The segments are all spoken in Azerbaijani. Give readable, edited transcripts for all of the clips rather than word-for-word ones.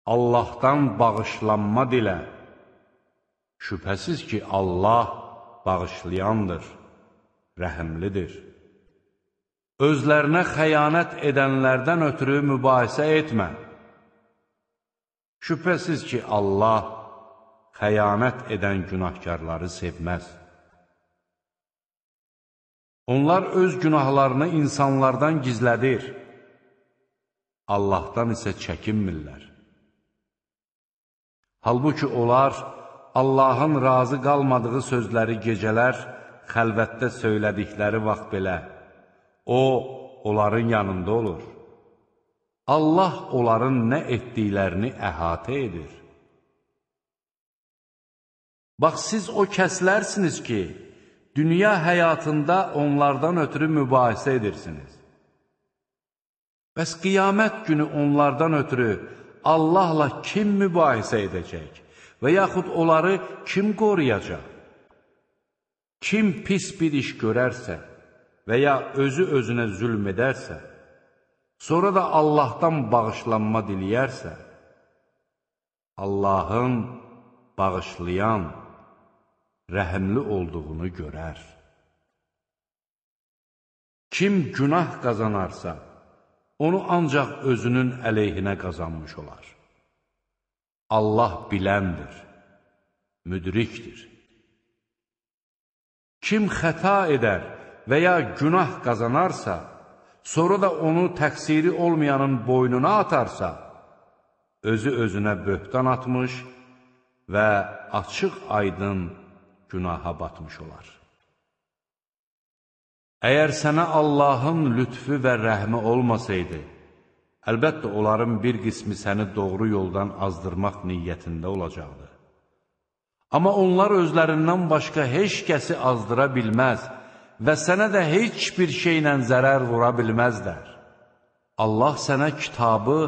Allahdan bağışlanma dilə. Şübhəsiz ki, Allah bağışlayandır, rəhimlidir. Özlərinə xəyanət edənlərdən ötürü mübahisə etmə. Şübhəsiz ki, Allah xəyanət edən günahkarları sevməz. Onlar öz günahlarını insanlardan gizlədir. Allahdan isə çəkinmirlər. Halbuki onlar Allahın razı qalmadığı sözləri gecələr xəlvətdə söylədikləri vaxt belə, O, onların yanında olur. Allah onların nə etdiklərini əhatə edir. Bax, siz o kəslərsiniz ki, dünya həyatında onlardan ötürü mübahisə edirsiniz. Bəs qiyamət günü onlardan ötürü Allahla kim mübahisə edəcək və yaxud onları kim qoruyacaq? Kim pis bir iş görərsə və ya özü özünə zülm edərsə, sonra da Allahdan bağışlanma diləyərsə, Allahın bağışlayan, rəhimli olduğunu görər. Kim günah qazanarsa, onu ancaq özünün əleyhinə qazanmış olar. Allah biləndir, müdrikdir. Kim xəta edər və ya günah qazanarsa, sonra da onu təqsiri olmayanın boynuna atarsa, özü özünə böhtan atmış və açıq aydın günaha batmış olar. Əgər sənə Allahın lütfü və rəhmi olmasaydı, əlbəttə onların bir qismi səni doğru yoldan azdırmaq niyyətində olacaqdı. Amma onlar özlərindən başqa heç kəsi azdıra bilməz və sənə də heç bir şeylə zərər vura bilməzlər. Allah sənə kitabı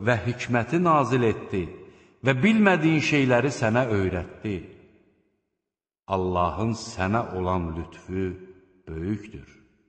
və hikməti nazil etdi və bilmədiyin şeyləri sənə öyrətdi. Allahın sənə olan lütfü böyükdür.